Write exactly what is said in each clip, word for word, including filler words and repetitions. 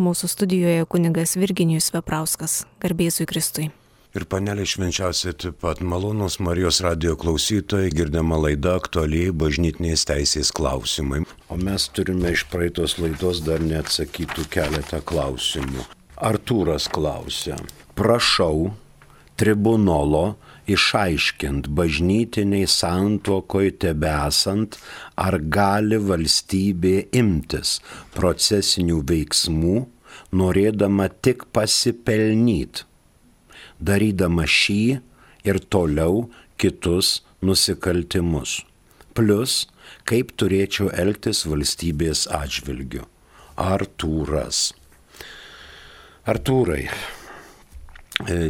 Mūsų studijoje kunigas Virginijus Veprauskas. Garbėzui Kristui. Ir panelė švenčiausiai taip pat malonūs Marijos radijo klausytojai, girdima laida aktualiai bažnytinės teisės klausimai. O mes turime iš praeitos laidos dar neatsakytų keletą klausimų. Artūras klausia, prašau tribunolo išaiškint bažnytiniai santuokoj tebesant, ar gali valstybė imtis procesinių veiksmų, norėdama tik pasipelnyt, darydama šį ir toliau kitus nusikaltimus. Plus, kaip turėčiau elgtis valstybės atžvilgiu. Artūras. Artūrai,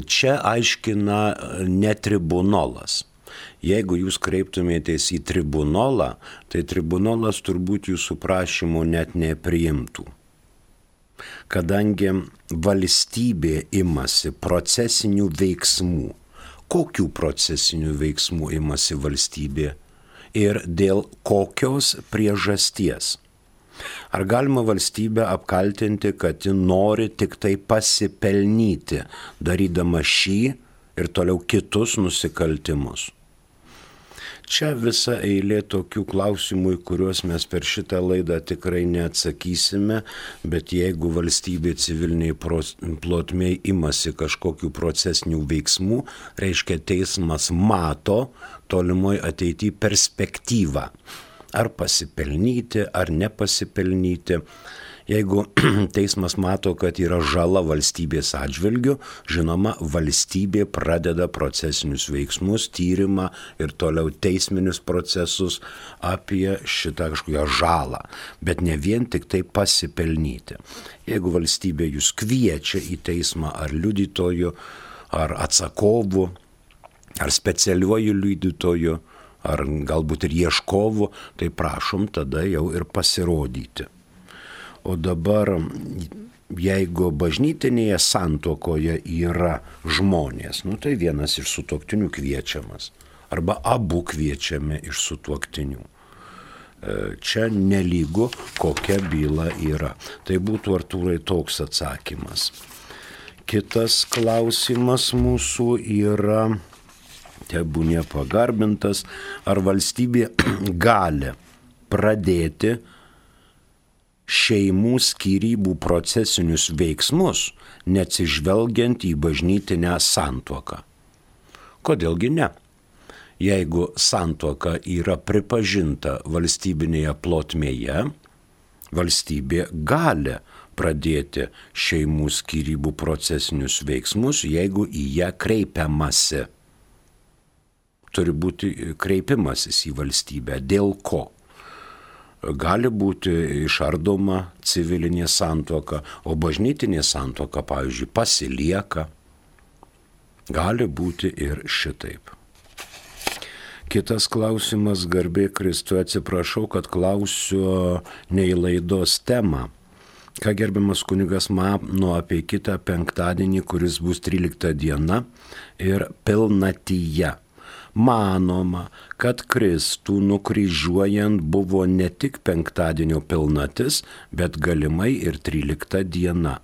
čia aiškina ne tribunolas. Jeigu jūs kreiptumėtės į tribunolą, tai tribunolas turbūt jūsų prašymo net nepriimtų. Kadangi valstybė imasi procesinių veiksmų. Kokių procesinių veiksmų imasi valstybė ir dėl kokios priežasties? Ar galima valstybę apkaltinti, kad ji nori tik tai pasipelnyti, darydama šį ir toliau kitus nusikaltimus? Čia visa eilė tokių klausimų, į kuriuos mes per šitą laidą tikrai neatsakysime, bet jeigu valstybė civiliniai plotmėj imasi kažkokių procesinių veiksmų, reiškia teismas mato tolimoj ateityje perspektyvą. Ar pasipelnyti, ar nepasipelnyti. Jeigu teismas mato, kad yra žala valstybės atžvilgiu, žinoma, valstybė pradeda procesinius veiksmus, tyrimą ir toliau teisminius procesus apie šitą kažkokią žalą, bet ne vien tik tai pasipelnyti. Jeigu valstybė jūs kviečia į teismą ar liudytoju, ar atsakovu, ar specialiuoju liudytoju, ar galbūt ir ieškovu, tai prašom tada jau ir pasirodyti. O dabar, jeigu bažnytinėje santuokoje yra žmonės, nu tai vienas iš sutuoktinių kviečiamas, arba abu kviečiami iš sutuoktinių. Čia nelygu, kokia byla yra. Tai būtų, Artūrai, toks atsakymas. Kitas klausimas mūsų yra, tebūnie pagarbintas, ar valstybė gali pradėti šeimų skyrybų procesinius veiksmus, neatsižvelgiant į bažnytinę santuoką. Kodėlgi ne? Jeigu santuoka yra pripažinta valstybinėje plotmėje, valstybė gali pradėti šeimų skyrybų procesinius veiksmus, jeigu į ją kreipiamasi. Turi būti kreipimasis į valstybę. Dėl ko? Gali būti išardoma civilinė santuoka, o bažnytinė santuoka, pavyzdžiui, pasilieka. Gali būti ir šitaip. Kitas klausimas, garbė Kristui, atsiprašau, kad klausiu ne į laidos temą. Ką gerbiamas kunigas mano apie kitą penktadienį, kuris bus trylikta diena ir pilnatyje. Manoma, kad Kristų nukryžiuojant buvo ne tik penktadienio pilnatis, bet galimai ir trylikta diena,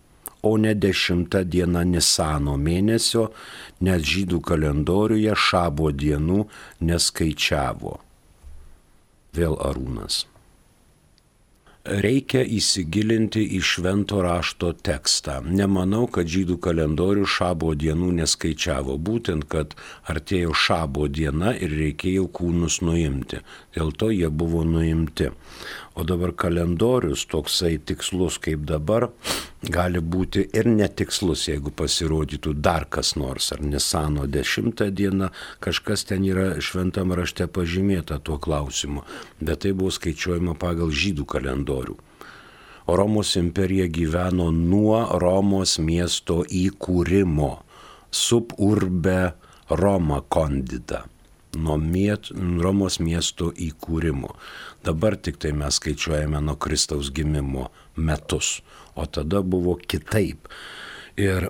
o ne dešimta diena Nisano mėnesio, nes žydų kalendoriuje šabo dienų neskaičiavo. Vėl Arūnas. Reikia įsigilinti į švento rašto tekstą. Nemanau, kad žydų kalendorių šabo dienų neskaičiavo, būtent, kad artėjo šabo diena ir reikėjo kūnus nuimti. Dėl to jie buvo nuimti. O dabar kalendorius toksai tikslus kaip dabar gali būti ir netikslus, jeigu pasirodytų dar kas nors, ar Nisano dešimta diena, kažkas ten yra šventam rašte pažymėta tuo klausimu, bet tai buvo skaičiuojama pagal žydų kalendorių. O Romos imperija gyveno nuo Romos miesto įkūrimo, sub urbe Roma condita, nuo miet, Romos miesto įkūrimo. Dabar tik tai mes skaičiuojame nuo Kristaus gimimo metus, o tada buvo kitaip. Ir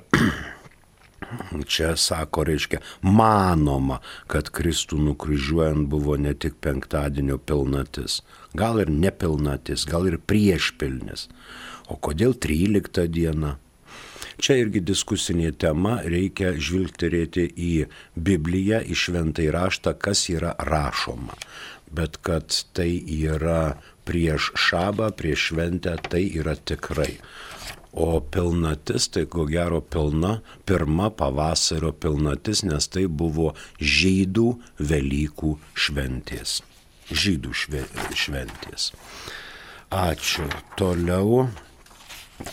čia sako, reiškia, manoma, kad Kristų nukryžiuojant buvo ne tik penktadienio pilnatis, gal ir nepilnatis, gal ir priešpilnis. O kodėl trylikta diena? Čia irgi diskusinė tema, reikia žvilgterėti į Bibliją, į šventąjį raštą, kas yra rašoma. Bet kad tai yra prieš šabą, prieš šventę, tai yra tikrai. O pilnatis, tai ko gero pilna, pirma pavasario pilnatis, nes tai buvo žydų Velykų šventės. Žydų šventės. Ačiū. Toliau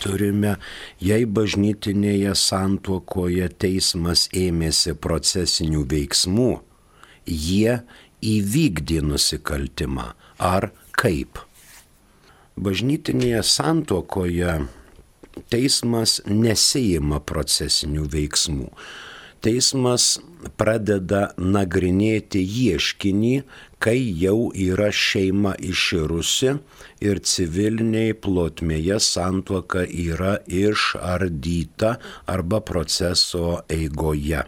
turime, jei bažnytinėje santuokoje teismas ėmėsi procesinių veiksmų, jie įvykdė nusikaltimą. Ar kaip? Bažnytinėje santuokoje teismas nesiima procesinių veiksmų. Teismas pradeda nagrinėti ieškinį, kai jau yra šeima iširusi ir civiliniai plotmėje santuoka yra išardyta arba proceso eigoje.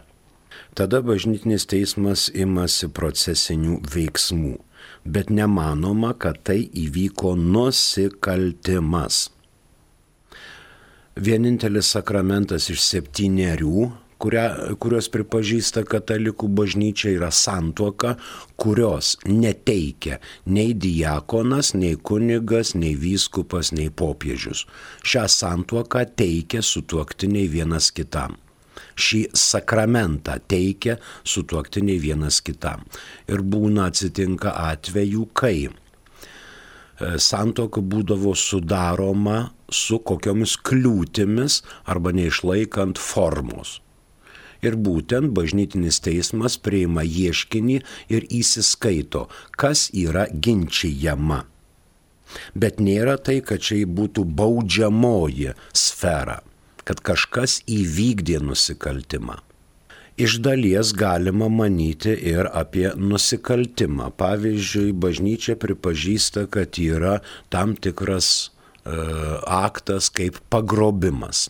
Tada bažnytinis teismas imasi procesinių veiksmų, bet nemanoma, kad tai įvyko nusikaltimas. Vienintelis sakramentas iš septynerių, kuria, kurios pripažįsta katalikų bažnyčia, yra santuoka, kurios neteikia nei diakonas, nei kunigas, nei vyskupas, nei popiežius. Šią santuoką teikia sutuoktiniai vienas kitam. Šį sakramentą teikia sutuoktiniai vienas kitam. Ir būna atsitinka atvejų, kai santuoka būdavo sudaroma su kokiomis kliūtimis arba neišlaikant formos. Ir būtent bažnytinis teismas priima ieškinį ir įsiskaito, kas yra ginčijama. Bet nėra tai, kad čia būtų baudžiamoji sfera, kad kažkas įvykdė nusikaltimą. Iš dalies galima manyti ir apie nusikaltimą. Pavyzdžiui, bažnyčia pripažįsta, kad yra tam tikras e, aktas kaip pagrobimas.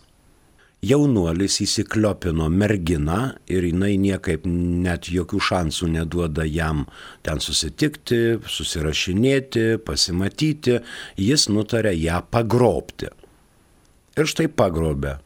Jaunuolis įsikliopino merginą ir jinai niekaip net jokių šansų neduoda jam ten susitikti, susirašinėti, pasimatyti. Jis nutarė ją pagrobti. Ir štai pagrobė.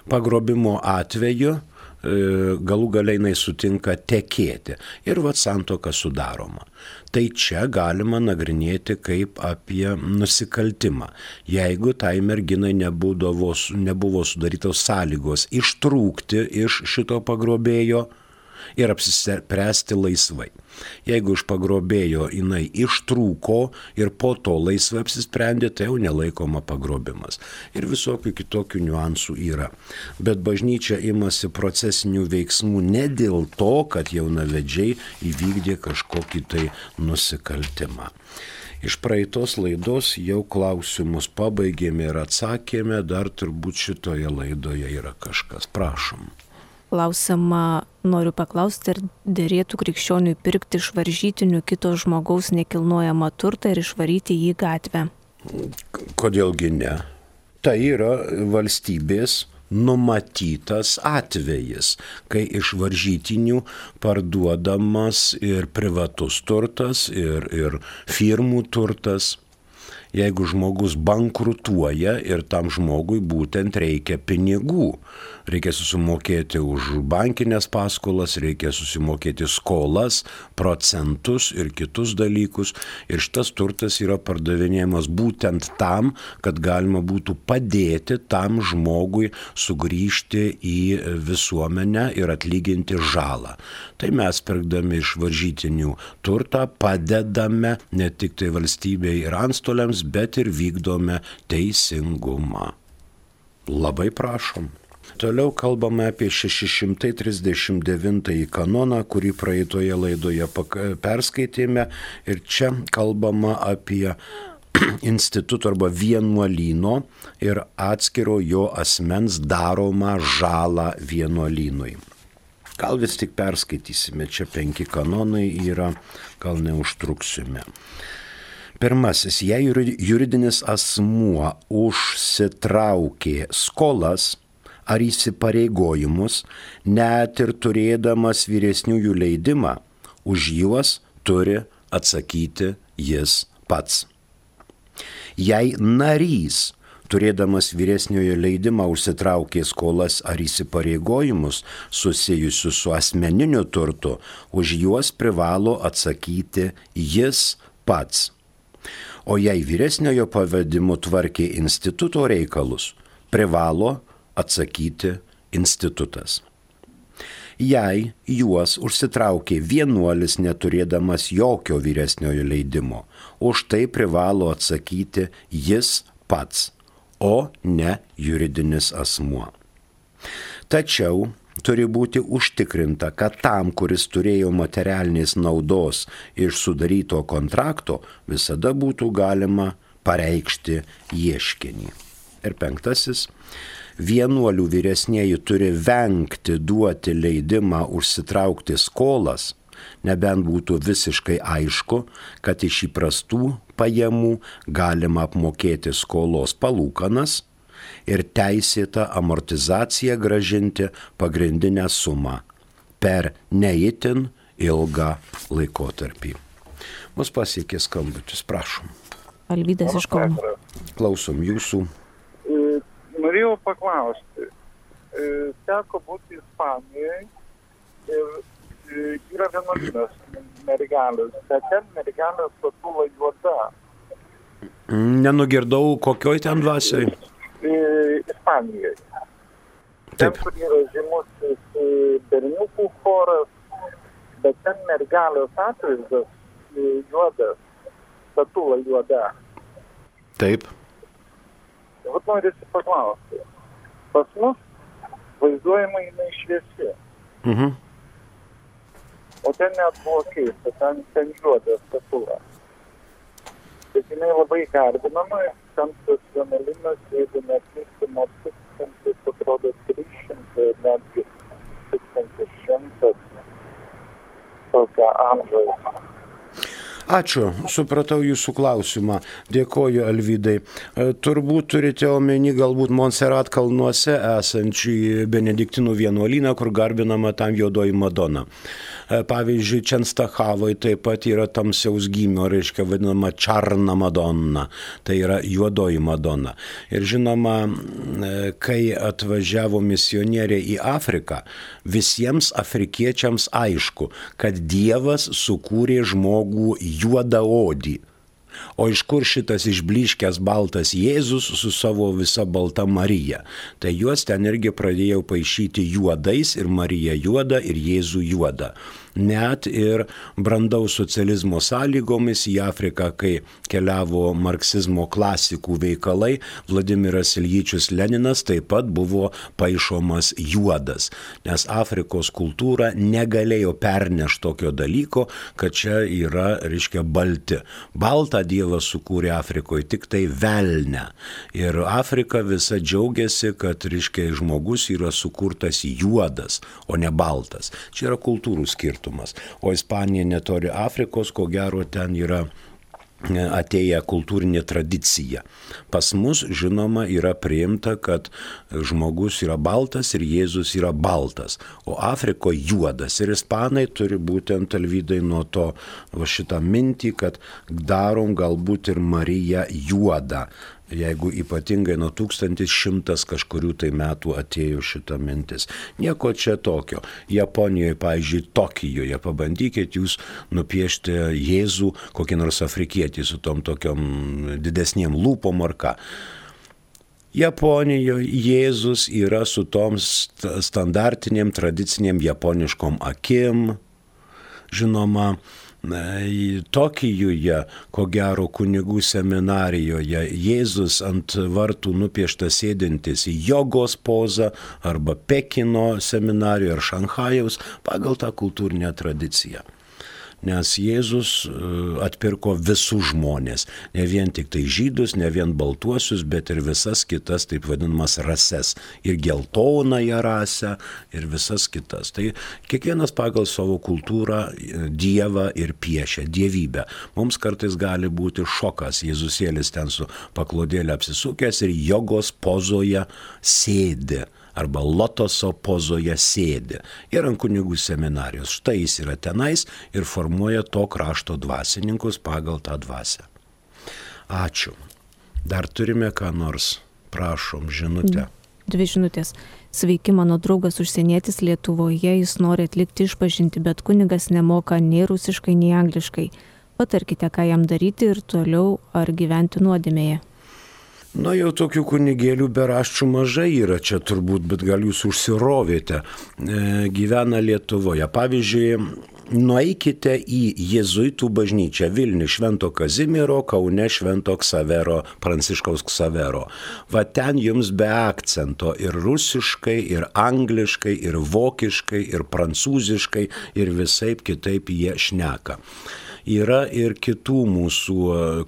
Pagrobimo atveju galų galiai jinai sutinka tekėti ir vat santuoka sudaroma. Tai čia galima nagrinėti kaip apie nusikaltimą. Jeigu tai merginai nebūdavo, nebuvo sudarytos sąlygos ištrūkti iš šito pagrobėjo ir apsispręsti laisvai. Jeigu iš pagrobėjo jinai ištrūko ir po to laisvai apsisprendė, tai jau nelaikoma pagrobimas. Ir visokių kitokių niuansų yra. Bet bažnyčia imasi procesinių veiksmų ne dėl to, kad jaunavedžiai įvykdė kažkokį tai nusikaltimą. Iš praeitos laidos jau klausimus pabaigėme ir atsakėme, dar turbūt šitoje laidoje yra kažkas. Prašom. Klausimą noriu paklausti, ar derėtų krikščioniui pirkti iš varžytinių kito žmogaus nekilnojamą turtą ir išvaryti jį į gatvę? Kodėlgi ne? Tai yra valstybės numatytas atvejis, kai iš varžytinių parduodamas ir privatus turtas, ir, ir firmų turtas. Jeigu žmogus bankrutuoja ir tam žmogui būtent reikia pinigų, reikia susimokėti už bankinės paskolas, reikia susimokėti skolas, procentus ir kitus dalykus. Ir šitas turtas yra pardavinėjamas būtent tam, kad galima būtų padėti tam žmogui sugrįžti į visuomenę ir atlyginti žalą. Tai mes pirkdami iš varžytinių turtą padedame ne tik tai valstybei ir antstoliams, bet ir vykdome teisingumą. Labai prašom. Toliau kalbame apie šeši šimtai trisdešimt devintąjį kanoną, kurį praeitoje laidoje perskaitėme. Ir čia kalbama apie instituto arba vienuolyno ir atskiro jo asmens daromą žalą vienuolynui. Gal vis tik perskaitysime, čia penki kanonai yra, gal neužtruksime. Pirmasis, jei juridinis asmuo užsitraukė skolas ar įsipareigojimus, net ir turėdamas vyresniųjų leidimą, už juos turi atsakyti jis pats. Jei narys, turėdamas vyresniojo leidimą, užsitraukė skolas ar įsipareigojimus susijusius su asmeniniu turtu, už juos privalo atsakyti jis pats. O jei vyresniojo pavedimu tvarkė instituto reikalus, privalo atsakyti institutas. Jei juos užsitraukė vienuolis neturėdamas jokio vyresniojo leidimo, už tai privalo atsakyti jis pats, o ne juridinis asmuo. Tačiau turi būti užtikrinta, kad tam, kuris turėjo materialinės naudos iš sudaryto kontrakto, visada būtų galima pareikšti ieškinį. Ir penktasis. Vienuolių vyresnieji turi vengti duoti leidimą užsitraukti skolas, nebent būtų visiškai aišku, kad iš įprastų pajamų galima apmokėti skolos palūkanas ir teisėtą amortizaciją grąžinti pagrindinę sumą per neįtin ilgą laikotarpį. Mus pasiekė skambutis, prašom. Alvydas iš Kauno. Klausom jūsų. Norėjau paklausti, teko būti Ispanijoje ir yra vienuolynas mergelės, bet ten mergelės statula juoda. Nenugirdau, kokioj ten dvasioj? Ispanijoje. Ten, kur yra žymusis berniukų choras, bet ten mergelės atvaizdas juodas, statula juoda. Taip. Vat norisi paklausti. Pas mus vaizduojama jinai šviesi. Mhm. O ten net buvo keista, ten, ten juoda statula. Bet jinai labai garbinama, ten tas vienuolynas, jeigu neklystu, nuo tūkstantis, atrodo, trys šimtai, netgi tūkstantis šimtas tokio amžiaus. Ačiū, supratau jūsų klausimą. Dėkoju, Alvydai. Turbūt turite omeny galbūt Montserrat kalnuose esančių benediktinų vienuolyną, kur garbinama tam juodoji Madona. Pavyzdžiui, Čenstachavoj taip pat yra tamsiaus gymio, reiškia vadinama Čarna Madonna, tai yra juodoji Madona. Ir žinoma, kai atvažiavo misionieriai į Afriką, visiems afrikiečiams aišku, kad Dievas sukūrė žmogų juodaodį. O iš kur šitas išblyškęs baltas Jėzus su savo visa balta Marija? Tai juos ten irgi pradėjau paišyti juodais, ir Marija juoda, ir Jėzų juoda. Net ir brandaus socializmo sąlygomis į Afriką, kai keliavo marksizmo klasikų veikalai, Vladimiras Iljičius Leninas taip pat buvo paišomas juodas, nes Afrikos kultūra negalėjo pernešti tokio dalyko, kad čia yra, reiškia, balti. Baltą Dievas sukūrė Afrikoje tik tai velnę. Ir Afrika visa džiaugiasi, kad, reiškia, žmogus yra sukurtas juodas, o ne baltas. Čia yra kultūrų skirtumas. O Ispanija netoli Afrikos, ko gero ten yra atėję kultūrinė tradicija. Pas mus, žinoma, yra priimta, kad žmogus yra baltas ir Jėzus yra baltas, o Afrikoje juodas. Ir ispanai turi būtent, Alvydai, nuo to va, šitą mintį, kad darom galbūt ir Mariją juodą. Jeigu ypatingai nuo tūkstantis šimtas kažkurių tai metų atėjo šita mintis. Nieko čia tokio. Japonijoje, pavyzdžiui, Tokijoje, pabandykit jūs nupiešti Jėzų, kokį nors afrikietį su tom tokiom didesniem lūpom ar ką. Japonijoje Jėzus yra su tom standartinėm, tradicinėm japoniškom akim. Žinoma, Tokijuje, ko gero kunigų seminarijoje, Jėzus ant vartų nupieštas sėdintis į jogos pozą arba Pekino seminarijoje ar Šanchajaus pagal tą kultūrinę tradiciją. Nes Jėzus atpirko visus žmonės, ne vien tik tai žydus, ne vien baltuosius, bet ir visas kitas, taip vadinamas, rases. Ir geltonąją rasę, ir visas kitas. Tai kiekvienas pagal savo kultūrą Dievą ir piešia, dievybę. Mums kartais gali būti šokas. Jėzusėlis ten su paklodėlė apsisukęs ir jogos pozoje sėdi. Arba lotoso pozoje sėdi. Ir ant kunigų seminarijos. Štai jis yra tenais ir formuoja to krašto dvasininkus pagal tą dvasią. Ačiū. Dar turime ką nors? Prašom, žinutę. Dvi žinutės. Sveiki, mano draugas užsienietis Lietuvoje, jis nori atlikti išpažinti, bet kunigas nemoka nei rusiškai, nei angliškai. Patarkite, ką jam daryti ir toliau, ar gyventi nuodėmėje. Na, jau tokių kunigėlių beraščių mažai yra čia turbūt, bet gal jūs užsirovėte. E, gyvena Lietuvoje. Pavyzdžiui, nueikite į jėzuitų bažnyčią Vilnių Švento Kazimiero, Kaune Švento Ksavero, Pranciškaus Ksavero. Va ten jums be akcento ir rusiškai, ir angliškai, ir vokiškai, ir prancūziškai, ir visaip kitaip jie šneka. Yra ir kitų mūsų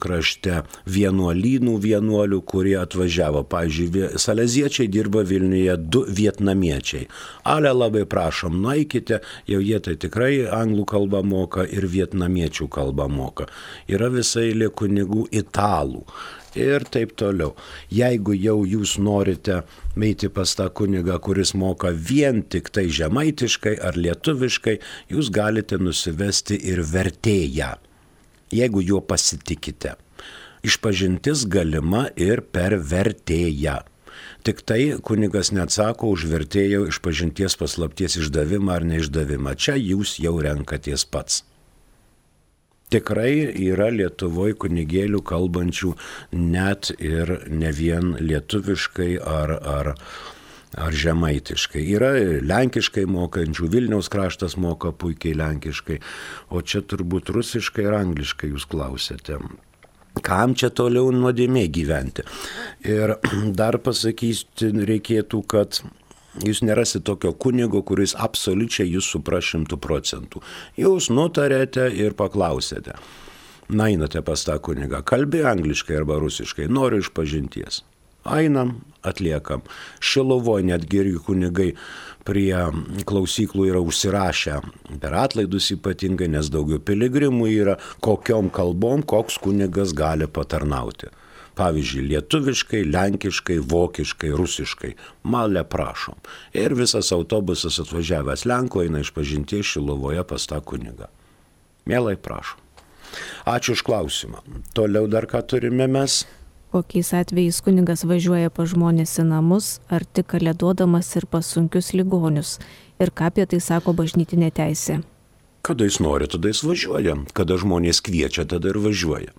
krašte vienuolynų vienuolių, kurie atvažiavo. Pavyzdžiui, saleziečiai dirba Vilniuje du vietnamiečiai. Ale labai prašom, nueikite, jau jie tai tikrai anglų kalbą moka ir vietnamiečių kalbą moka. Yra visai eilė kunigų italų. Ir taip toliau. Jeigu jau jūs norite eiti pas tą kunigą, kuris moka vien tik tai žemaitiškai ar lietuviškai, jūs galite nusivesti ir vertėją, jeigu juo pasitikite. Išpažintis galima ir per vertėją. Tik tai kunigas neatsako už vertėjo išpažinties paslapties išdavimą ar neišdavimą. Čia jūs jau renkatės pats. Tikrai yra Lietuvoje kunigėlių kalbančių net ir ne vien lietuviškai ar, ar, ar žemaitiškai. Yra lenkiškai mokančių, Vilniaus kraštas moka puikiai lenkiškai, o čia turbūt rusiškai ir angliškai jūs klausėte. Kam čia toliau nuodėmė gyventi? Ir dar pasakysiu, reikėtų, kad jūs nerasite tokio kunigo, kuris absoliučiai jūs supras šimtų procentų. Jūs nutarėte ir paklausėte. Na, einate pas tą kunigą, kalbi angliškai arba rusiškai, noriu išpažinties. Einam, atliekam. Šiluvoje netgi irgi kunigai prie klausyklų yra užsirašę per atlaidus ypatingai, nes daugiau piligrimų yra, kokiom kalbom koks kunigas gali patarnauti. Pavyzdžiui, lietuviškai, lenkiškai, vokiškai, rusiškai. Malė prašom. Ir visas autobusas atvažiavęs Lenkų eina išpažinties Šiluvoje pas tą kunigą. Mielai prašom. Ačiū už klausimą. Toliau dar ką turime mes? Kokiais atvejais kunigas važiuoja pas žmonės į namus, ar tik kalėdodamas ir pas sunkius ligonius? Ir ką apie tai sako bažnytinė teisė? Kada jis nori, tada jis važiuoja. Kada žmonės kviečia, tada ir važiuoja.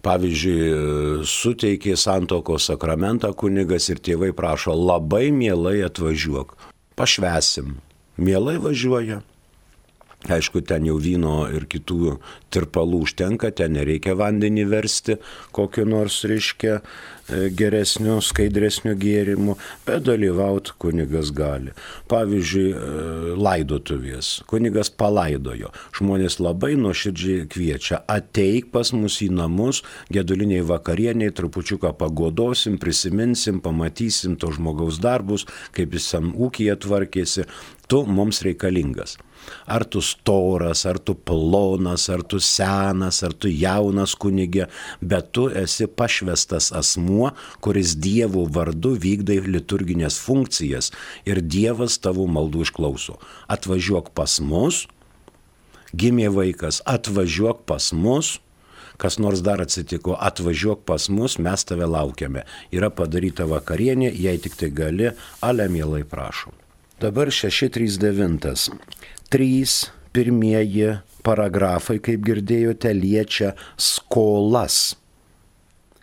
Pavyzdžiui, suteikė santuokos sakramentą kunigas ir tėvai prašo, labai mielai atvažiuok, pašvęsim. Mielai važiuoja. Aišku, ten jau vyno ir kitų tirpalų užtenka, ten nereikia vandenį versti, kokio nors, reiškia, geresnio, skaidresnio gėrimo, bet dalyvauti kunigas gali. Pavyzdžiui, laidotuvės. Kunigas palaidojo. Žmonės labai nuoširdžiai kviečia, ateik pas mus į namus, geduliniai vakarieniai, trupučiuką pagodosim, prisiminsim, pamatysim to žmogaus darbus, kaip jis tam ūkyje tvarkėsi, tu mums reikalingas. Ar tu storas, ar tu plonas, ar tu senas, ar tu jaunas kunigė, bet tu esi pašvestas asmuo, kuris Dievo vardu vykdai liturginės funkcijas ir Dievas tavo maldų išklauso. Atvažiuok pas mus, gimė vaikas, atvažiuok pas mus, kas nors dar atsitiko, atvažiuok pas mus, mes tave laukiame. Yra padaryta vakarienė, jei tik tai gali, ale mielai prašom. Dabar šeši trys devyni. Trys pirmieji paragrafai, kaip girdėjote, liečia skolas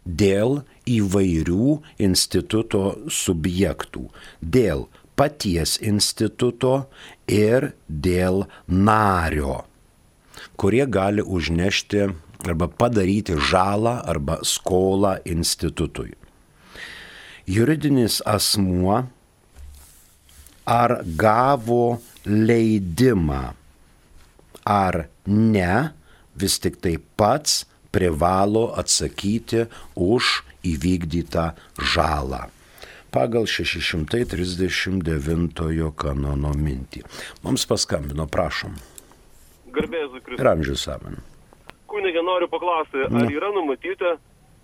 dėl įvairių instituto subjektų, dėl paties instituto ir dėl nario, kurie gali užnešti arba padaryti žalą arba skolą institutui. Juridinis asmuo ar gavo leidimą ar ne, vis tik tai pats privalo atsakyti už įvykdytą žalą. Pagal šeši trisdešimt devintojo kanono mintį. Mums paskambino, prašom. Garbėzu Kristus. Ir amžius amen. Kunige, noriu paklausti, ar yra numatyta,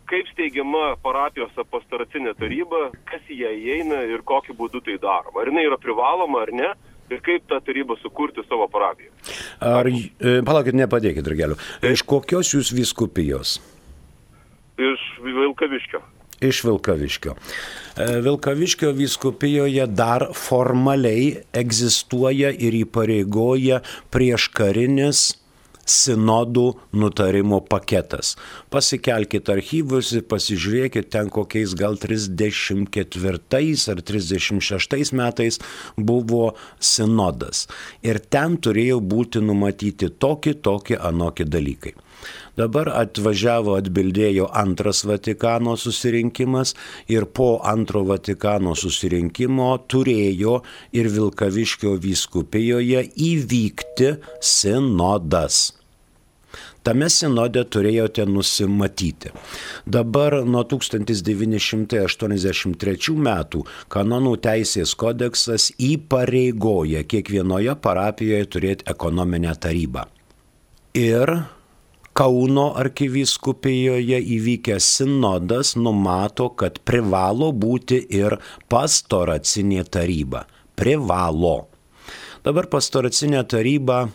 kaip steigiama parapijos pastoracinė taryba, kas į ją įeina ir kokiu būdu tai daroma? Ar jinai yra privaloma ar ne? Ir kaip tą tarybą sukurti savo parapiją? Ar, palaukit, nepadėkit, drageliu. Iš kokios jūs vyskupijos? iš Vilkaviškio. Iš Vilkaviškio. Vilkaviškio vyskupijoje dar formaliai egzistuoja ir įpareigoja prieškarinis sinodų nutarimo paketas. Pasikelkit archyvus ir pasižiūrėkit, ten kokiais gal trisdešimt ketvirtais ar trisdešimt šeštais metais buvo sinodas. Ir ten turėjo būti numatyti tokie, tokie, anokie dalykai. Dabar atvažiavo, atbildėjo antras Vatikano susirinkimas ir po antro Vatikano susirinkimo turėjo ir Vilkaviškio vyskupijoje įvykti sinodas. Tame sinode turėjote nusimatyti. Dabar nuo tūkstantis devyni šimtai aštuoniasdešimt trečių metų kanonų teisės kodeksas įpareigoja kiekvienoje parapijoje turėti ekonominę tarybą. Ir Kauno arkivyskupijoje įvykęs sinodas numato, kad privalo būti ir pastoracinė taryba. Privalo. Dabar pastoracinė taryba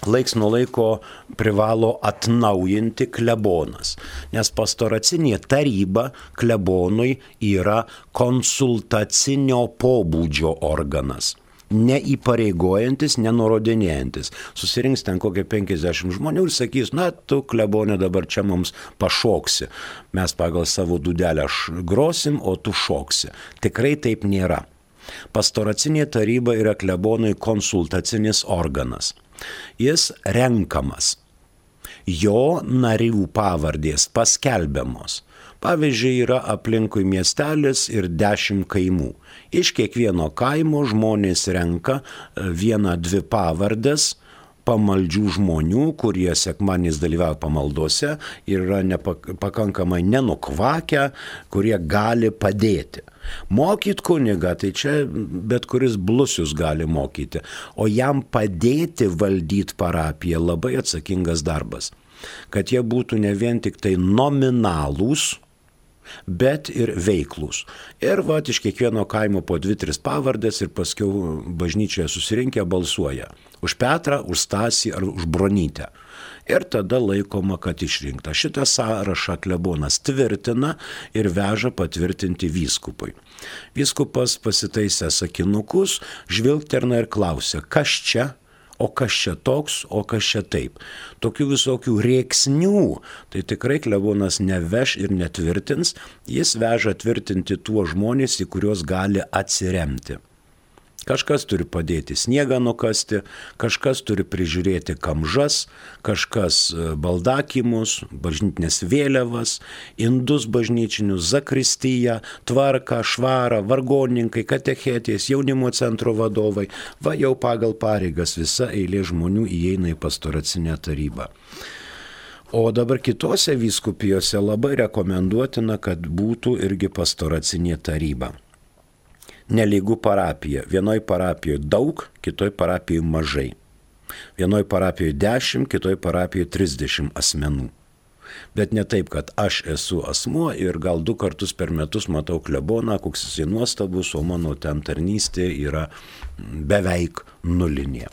laiks nuo laiko privalo atnaujinti klebonas, nes pastoracinė taryba klebonui yra konsultacinio pobūdžio organas. Neįpareigojantis, nenurodinėjantis. Susirinks ten kokie penkiasdešimt žmonių ir sakys, na, tu klebonė dabar čia mums pašoksi. Mes pagal savo dūdelę grosim, o tu šoksi. Tikrai taip nėra. Pastoracinė taryba yra klebonui konsultacinis organas. Jis renkamas. Jo narių pavardės paskelbiamos. Pavyzdžiui, yra aplinkui miestelis ir dešimt kaimų. Iš kiekvieno kaimo žmonės renka vieną, dvi pavardės pamaldžių žmonių, kurie sekmadieniais dalyvauja pamaldose ir yra nepakankamai nenukvakę, kurie gali padėti. Mokyt kunigą, tai čia bet kuris blusius gali mokyti, o jam padėti valdyti parapiją labai atsakingas darbas. Kad jie būtų ne vien tik tai nominalūs, bet ir veiklus. Ir va, iš kiekvieno kaimo po dvi, tris pavardės ir paskiau bažnyčioje susirinkę balsuoja. Už Petrą, už Stasį ar už Bronytę. Ir tada laikoma, kad išrinkta. Šitą sąrašą klebonas tvirtina ir veža patvirtinti vyskupui. Vyskupas pasitaisė sakinukus, žvilgterna ir klausia, kas čia? O kas čia toks, o kas čia taip. Tokių visokių rėksnių, tai tikrai klebonas neveš ir netvirtins, jis veža tvirtinti tuos žmonės, į kuriuos gali atsiremti. Kažkas turi padėti sniegą nukasti, kažkas turi prižiūrėti kamžas, kažkas baldakimus, bažnytinės vėliavas, indus bažnyčinius, zakristiją, tvarką, švarą, vargonininkai, katechetės, jaunimo centro vadovai. Va jau pagal pareigas visa eilė žmonių įeina į pastoracinę tarybą. O dabar kitose vyskupijose labai rekomenduotina, kad būtų irgi pastoracinė taryba. Nelygų parapija. Vienoj parapijoje daug, kitoj parapijoje mažai. Vienoj parapijoje dešimt, kitoj parapijoje trisdešimt asmenų. Bet ne taip, kad aš esu asmuo ir gal du kartus per metus matau kleboną, koks jisai nuostabus, o mano ten tarnystė yra beveik nulinė.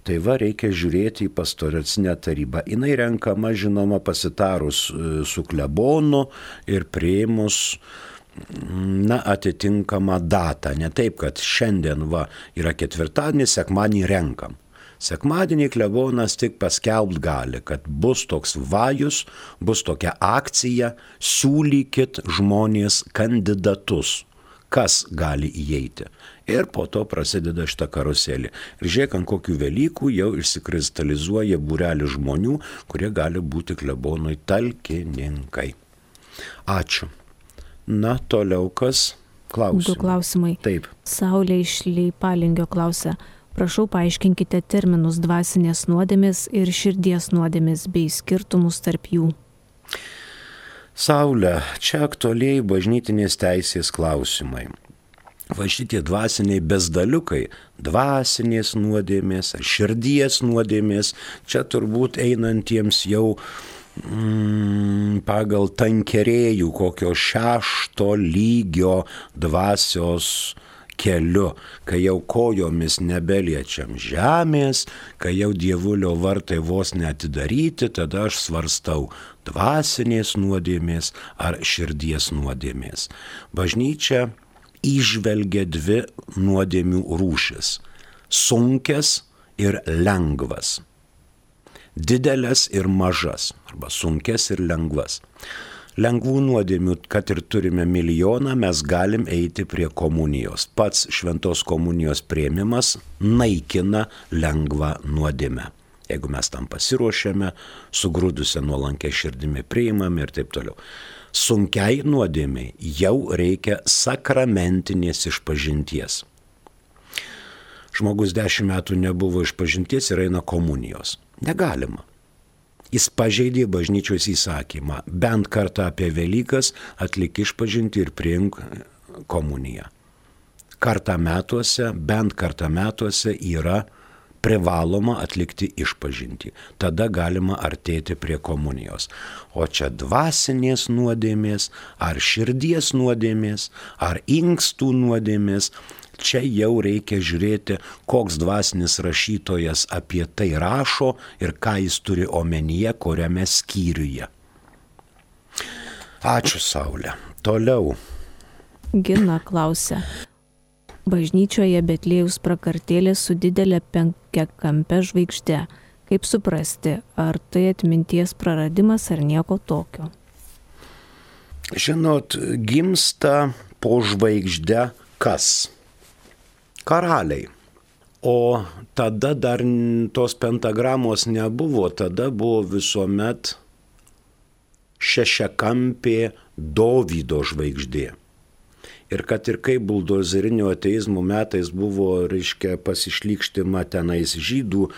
Tai va, reikia žiūrėti į pastoracinę tarybą. Jinai renkama, žinoma, pasitarus su klebonu ir priėmus na, atitinkamą datą. Ne taip, kad šiandien va, yra ketvirtadienis, sekmadienį renkam. Sekmadienį klebonas tik paskelbt gali, kad bus toks vajus, bus tokia akcija, siūlykit žmonės kandidatus, kas gali įeiti. Ir po to prasideda šitą karuselį. Ir žiūrėk, ant kokių Velykų jau išsikristalizuoja būrelis žmonių, kurie gali būti klebonui talkininkai. Ačiū. Na, toliau kas? Klausimai. Du klausimai. Taip. Saulė iš Leipalingio klausia. Prašau, paaiškinkite terminus dvasinės nuodėmės ir širdies nuodėmės bei skirtumus tarp jų. Saulė, čia aktualiai bažnytinės teisės klausimai. Va šitie dvasiniai bezdaliukai, dvasinės nuodėmės, širdies nuodėmės, čia turbūt einantiems jau Mm, pagal tankerėjų kokio šešto lygio dvasios keliu, kai jau kojomis nebeliečiam žemės, kai jau dievulio vartai vos neatidaryti, tada aš svarstau dvasinės nuodėmės ar širdies nuodėmės. Bažnyčia įžvelgia dvi nuodėmių rūšis - sunkias ir lengvas. Didelės ir mažas, arba sunkias ir lengvas. Lengvų nuodėmių, kad ir turime milijoną, mes galim eiti prie komunijos. Pats šventos komunijos priėmimas naikina lengvą nuodėmę. Jeigu mes tam pasiruošiame, sugrūdusią nuolankę širdimi priimame ir taip toliau. Sunkiai nuodėmiai jau reikia sakramentinės išpažinties. Žmogus dešimt metų nebuvo išpažinties ir eina komunijos. Negalima. Jis pažeidė bažnyčios įsakymą. Bent kartą apie Velykas atlik išpažinti ir priimk komuniją. Kartą metuose, bent kartą metuose yra privaloma atlikti išpažinti. Tada galima artėti prie komunijos. O čia dvasinės nuodėmės, ar širdies nuodėmės, ar inkstų nuodėmės, čia jau reikia žiūrėti, koks dvasinis rašytojas apie tai rašo ir ką jis turi omenyje, kuriame skyriuje. Ačiū, Saulė. Toliau. Gina klausia. Bažnyčioje Betliejaus prakartėlė su didelė penkiakampe žvaigžde. Kaip suprasti, ar tai atminties praradimas ar nieko tokio? Žinot, gimsta po žvaigžde kas? Karaliai. O tada dar tos pentagramos nebuvo, tada buvo visuomet šešiakampė Dovydo žvaigždė. Ir kad ir kaip buldozerinio ateizmo metais buvo, reiškia, pasišlykštima tenais žydų e,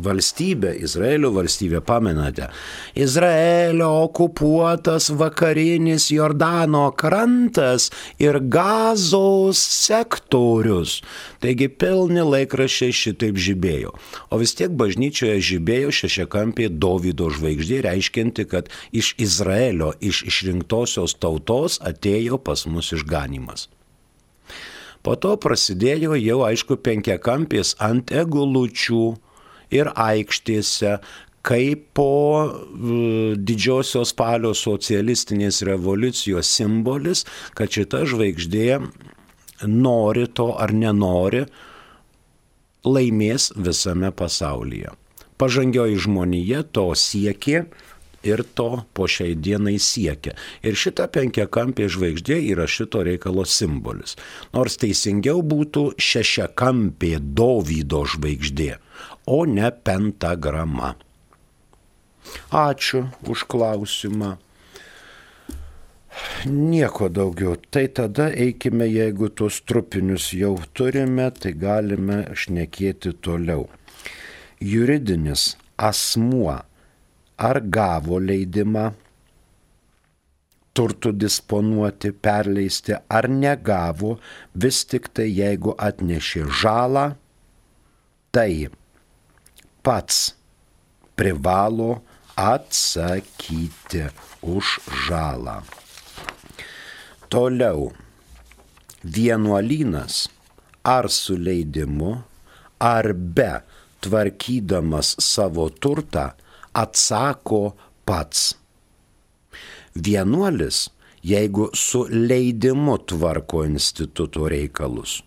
valstybė, Izraelio valstybė, pamenate. Izraelio okupuotas vakarinis Jordano krantas ir Gazos sektorius. Taigi pilni laikraščiai šitaip žibėjo. O vis tiek bažnyčioje žibėjo šešiakampė Dovydo žvaigždė, reiškianti, kad iš Izraelio, iš išrinktosios tautos atėjo pas mus iš ganimas. Po to prasidėjo jau, aišku, penkiakampės ant egulučių ir aikštėse, kaip po uh, didžiosios spalio socialistinės revoliucijos simbolis, kad šita žvaigždė nori to ar nenori, laimės visame pasaulyje. Pažangioji žmonija to siekė ir to po šiai dienai siekia. Ir šita penkiakampė žvaigždė yra šito reikalo simbolis. Nors teisingiau būtų šešiakampė Dovydo žvaigždė, o ne pentagrama. Ačiū už klausimą. Nieko daugiau. Tai tada eikime, jeigu tuos trupinius jau turime, tai galime šnekėti toliau. Juridinis asmuo ar gavo leidimą turtų disponuoti, perleisti, ar negavo, vis tik tai jeigu atnešė žalą, tai pats privalo atsakyti už žalą. Toliau, vienuolynas ar su leidimu, ar be tvarkydamas savo turtą, atsako pats. Vienuolis, jeigu su leidimu tvarko instituto reikalus,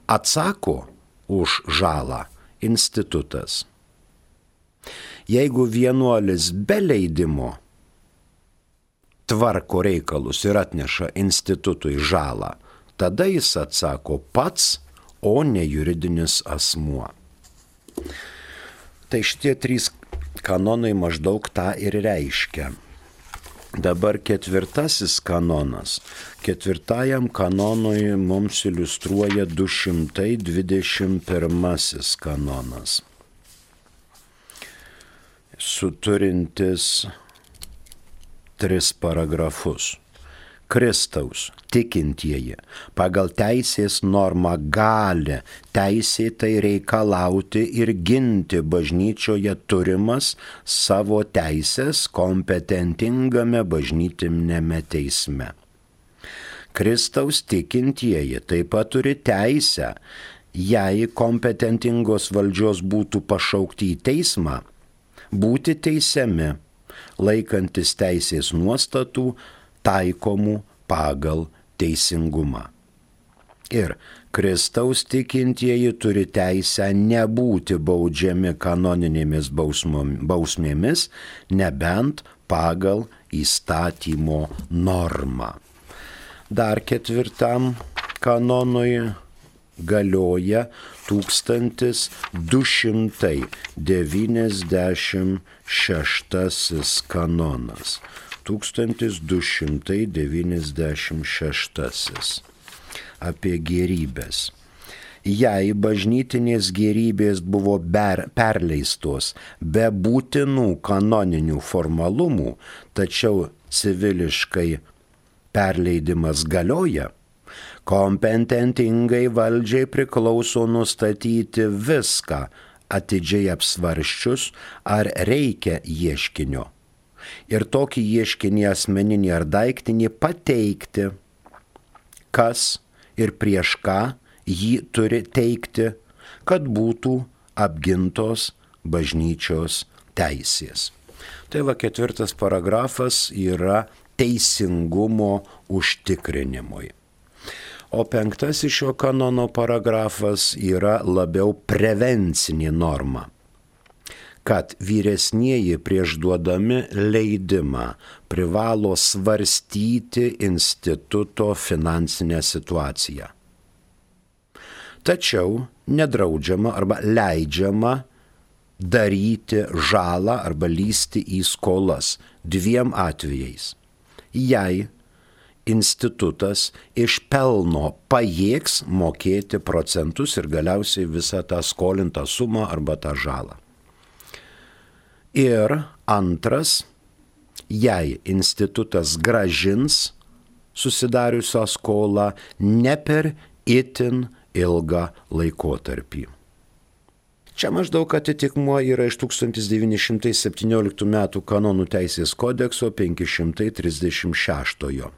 atsako už žalą institutas. Jeigu vienuolis be leidimo tvarko reikalus ir atneša institutui žalą, tada jis atsako pats, o ne juridinis asmuo. Tai šitie trys kanonai maždaug tą ir reiškia. Dabar ketvirtasis kanonas. Ketvirtajam kanonui mums iliustruoja du šimtai dvidešimt pirmasis kanonas. Suturintis tris paragrafus. Kristaus tikintieji pagal teisės normą gali teisėtai reikalauti ir ginti bažnyčioje turimas savo teisės kompetentingame bažnytinėme teisme. Kristaus tikintieji taip pat turi teisę, jei kompetentingos valdžios būtų pašaukti į teismą, būti teisiami, laikantis teisės nuostatų taikomų pagal teisingumą. Ir Kristaus tikintieji turi teisę nebūti baudžiami kanoninėmis bausmėmis, nebent pagal įstatymo normą. Dar ketvirtam kanonui galioja tūkstantis du šimtai devyniasdešimt šeštasis kanonas. tūkstantis du šimtai devyniasdešimt šeštasis apie gėrybės. Jei bažnytinės gėrybės buvo ber, perleistos be būtinų kanoninių formalumų, tačiau civiliškai perleidimas galioja, kompetentingai valdžiai priklauso nustatyti viską, atidžiai apsvarščius, ar reikia ieškinio. Ir tokį ieškinį asmeninį ar daiktinį pateikti, kas ir prieš ką jį turi teikti, kad būtų apgintos bažnyčios teisės. Tai va ketvirtas paragrafas yra teisingumo užtikrinimui. O penktasis šio kanono paragrafas yra labiau prevencinė norma, kad vyresnieji prieš duodami leidimą privalo svarstyti instituto finansinę situaciją. Tačiau nedraudžiama arba leidžiama daryti žalą arba lysti į skolas dviem atvejais. Jei institutas iš pelno pajėgs mokėti procentus ir galiausiai visą tą skolintą sumą arba tą žalą. Ir antras, jei institutas grąžins susidariusią skolą ne per itin ilgą laikotarpį. Čia maždaug atitikmuo yra iš tūkstantis devyni šimtai septynioliktų metų kanonų teisės kodekso penki šimtai trisdešimt šeštojo.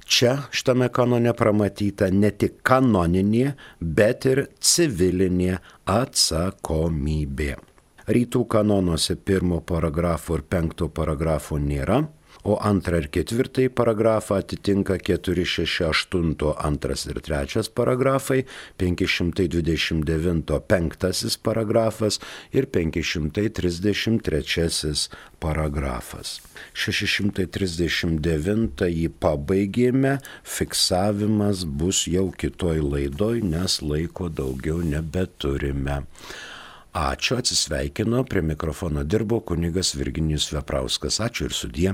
Čia šitame kanone pramatyta ne tik kanoninė, bet ir civilinė atsakomybė. Rytų kanonuose pirmo paragrafo ir penkto paragrafo nėra, o antrą ir ketvirtąjį paragrafą atitinka keturi šeši aštunto antras ir trečias paragrafai, penki šimtai dvidešimt devinto penktasis paragrafas ir penki šimtai trisdešimt trečiasis paragrafas. šeši šimtai trisdešimt devintąjį pabaigėme, fiksavimas bus jau kitoj laidoj, nes laiko daugiau nebeturime. Ačiū, atsisveikino, prie mikrofono dirbo kunigas Virginijus Veprauskas. Ačiū ir sudie.